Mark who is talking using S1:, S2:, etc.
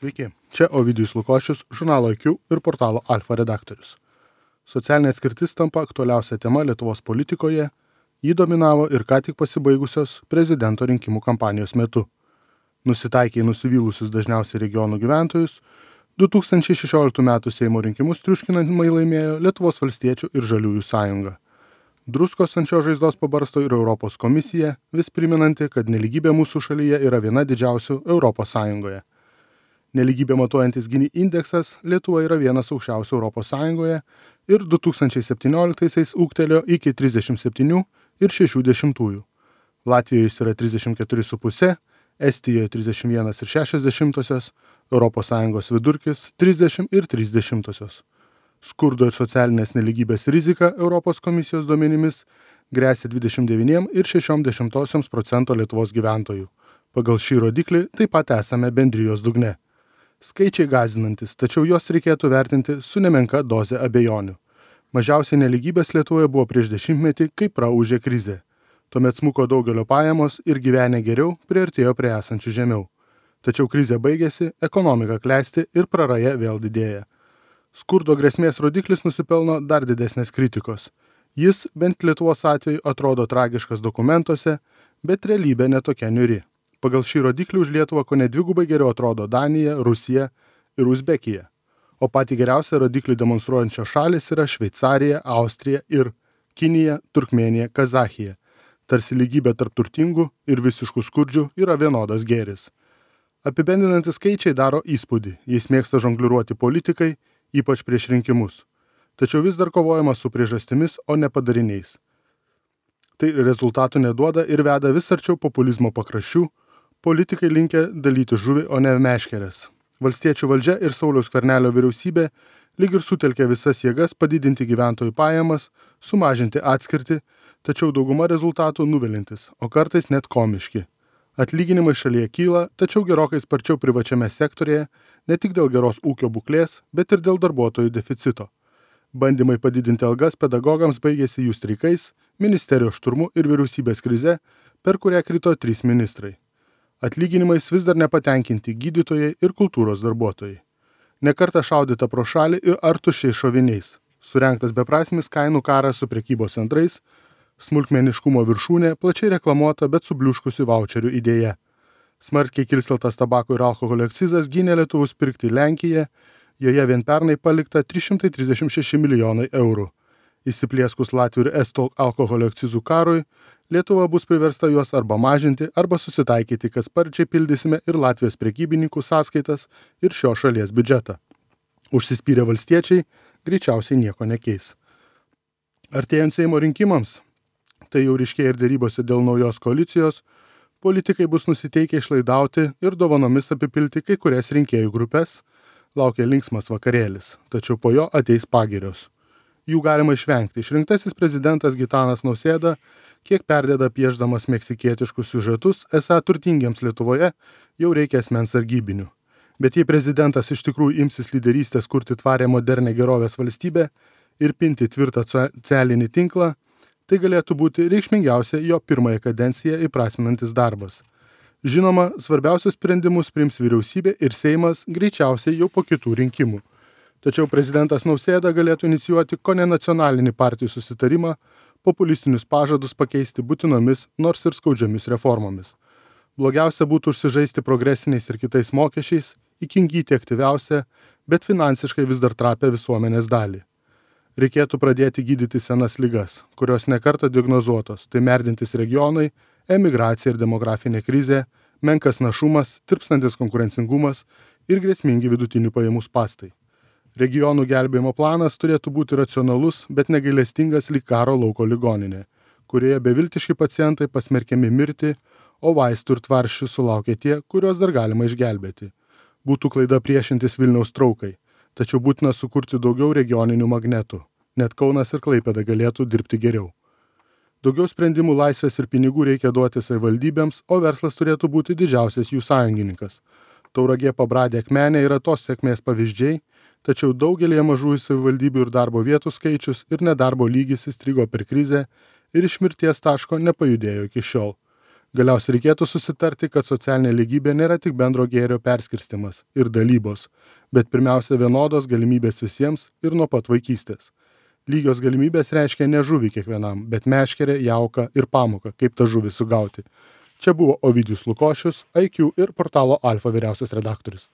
S1: Sveiki, čia Ovidijus Lukošius, žurnalo IQ ir portalo Alfa redaktorius. Socialinė atskirtis tampa aktualiausia tema Lietuvos politikoje, jį dominavo ir ką tik pasibaigusios prezidento rinkimų kampanijos metu. Nusitaikę į nusivylusius dažniausiai regionų gyventojus, 2016 m. Seimo rinkimus triuškinamai laimėjo Lietuvos valstiečių ir žaliųjų sąjunga. Druskos ant šios žaizdos pabarsto ir Europos komisija, vis priminanti, kad nelygybė mūsų šalyje yra viena didžiausių Europos Sąjungoje. Nelygybė matuojantis Gini indeksas Lietuva yra vienas aukščiausių Europos Sąjungoje ir 2017 ūgtelėjo iki 37,6. Latvijoje jis yra 34,5, Estijoje 31,6, Europos Sąjungos vidurkis 30,3. Skurdo ir socialinės nelygybės rizika Europos komisijos duomenimis gresia 29,6% Lietuvos gyventojų. Pagal šį rodiklį taip pat esame bendrijos dugne. Skaičiai gąsdinantis, tačiau juos reikėtų vertinti su nemenka doze abejonių. Mažiausiai nelygybės Lietuvoje buvo prieš 10-metį, kai praūžė krizė. Tuomet smuko daugelio pajamos ir gyvenę geriau priartėjo prie esančių žemiau. Tačiau krizė baigėsi, ekonomika klesti ir praraja vėl didėja. Skurdo grėsmės rodiklis nusipelno dar didesnės kritikos. Jis, bent Lietuvos atveju, atrodo tragiškas dokumentuose, bet realybė netokia niuri. Pagal šį rodiklį už Lietuvą kone dvigubai geriau atrodo Danija, Rusija ir Uzbekija. O patį geriausią rodiklį demonstruojančios šalis yra Šveicarija, Austrija ir Kinija, Turkmėnija, Kazachija. Tarsi lygybė tarp turtingų ir visiškų skurdžių yra vienodas gėris. Apibendrinantys skaičiai daro įspūdį, jais mėgsta žongliruoti politikai, ypač prieš rinkimus. Tačiau vis dar kovojama su priežastimis, o ne padariniais. Tai rezultatų neduoda ir veda vis arčiau populizmo pakraščių. Politikai linkę dalyti žuvį, o ne meškeres. Valstiečių valdžia ir Sauliaus Skvernelio vyriausybė lyg ir sutelkė visas jėgas padidinti gyventojų pajamas, sumažinti atskirtį, tačiau dauguma rezultatų nuvilintis, o kartais net komiški. Atlyginimai šalyje kyla, tačiau gerokai sparčiau privačiame sektorėje, ne tik dėl geros ūkio būklės, bet ir dėl darbuotojų deficito. Bandymai padidinti algas pedagogams baigėsi jų streikais, ministerijos šturmu ir vyriausybės krize, per kurią krito 3 ministrai. Atlyginimais vis dar nepatenkinti gydytojai ir kultūros darbuotojai. Nekartą šaudyta pro šalį ir ar tuščiais šoviniais. Surengtas beprasmis kainų karas su prekybos centrais, smulkmeniškumo viršūnė, plačiai reklamuota, bet subliuškusi vaučerių idėja. Smarkiai kilsteltas tabako ir alkoholio akcizas gynė lietuvus pirkti Lenkiją, joje vien pernai palikta 336 milijonai eurų. Įsiplieskus Latvių ir Estų alkoholio akcizų karui, Lietuva bus priversta juos arba mažinti, arba susitaikyti, kad sparčiai pildysime ir Latvijos prekybininkų sąskaitas ir šio šalies biudžetą. Užsispyrę valstiečiai greičiausiai nieko nekeis. Artėjant Seimo rinkimams, tai jau ryškėja ir dėrybose dėl naujos koalicijos, politikai bus nusiteikę išlaidauti ir dovanomis apipilti kai kurias rinkėjų grupės, laukia linksmas vakarėlis, tačiau po jo ateis pagirios. Jų galima išvengti. Išrinktasis prezidentas Gitanas Nausėda kiek perdeda piešdamas meksikietiškus siužetus, esą turtingiems Lietuvoje jau reikia asmens sargybinių. Bet jei prezidentas iš tikrųjų imsis lyderystės kurti tvarę modernę gerovės valstybę ir pinti tvirtą socialinį tinklą, tai galėtų būti reikšmingiausia jo pirmąją kadenciją įprasminantis darbas. Žinoma, svarbiausius sprendimus priims vyriausybė ir Seimas greičiausiai jau po kitų rinkimų. Tačiau prezidentas Nausėda galėtų inicijuoti kone nacionalinį partijų susitarimą, populistinius pažadus pakeisti būtinomis, nors ir skaudžiomis reformomis. Blogiausia būtų užsižaisti progresiniais ir kitais mokesčiais, įkingyti aktyviausią, bet finansiškai vis dar trapę visuomenės dalį. Reikėtų pradėti gydyti senas ligas, kurios nekartą diagnozuotos, tai merdintis regionai, emigracija ir demografinė krizė, menkas našumas, tirpstantis konkurencingumas ir grėsmingi vidutinių pajamų spąstai. Regionų gelbėjimo planas turėtų būti racionalus, bet negailestingas lyg karo lauko ligoninė, kurioje beviltiški pacientai pasmerkiami mirti, o vaistų ir tvaršių sulaukia tie, kuriuos dar galima išgelbėti. Būtų klaida priešintis Vilniaus traukai, tačiau būtina sukurti daugiau regioninių magnetų. Net Kaunas ir Klaipėda galėtų dirbti geriau. Daugiau sprendimų laisvės ir pinigų reikia duoti savivaldybėms, o verslas turėtų būti didžiausias jų sąjungininkas. Tauragė, Pabradė, Akmenė yra tos sėkmės pavyzdžiai, tačiau daugelėje mažųjų savivaldybių ir darbo vietų skaičius ir nedarbo lygis įstrigo per krizę ir iš mirties taško nepajudėjo iki šiol. Galiausiai reikėtų susitarti, kad socialinė lygybė nėra tik bendro gėrio perskirstimas ir dalybos, bet pirmiausia vienodos galimybės visiems ir nuo pat vaikystės. Lygios galimybės reiškia ne žuvį kiekvienam, bet meškerę, jauką ir pamoką, kaip tą žuvį sugauti. Čia buvo Ovidijus Lukošius, IQ ir portalo Alfa vyriausias redaktorius.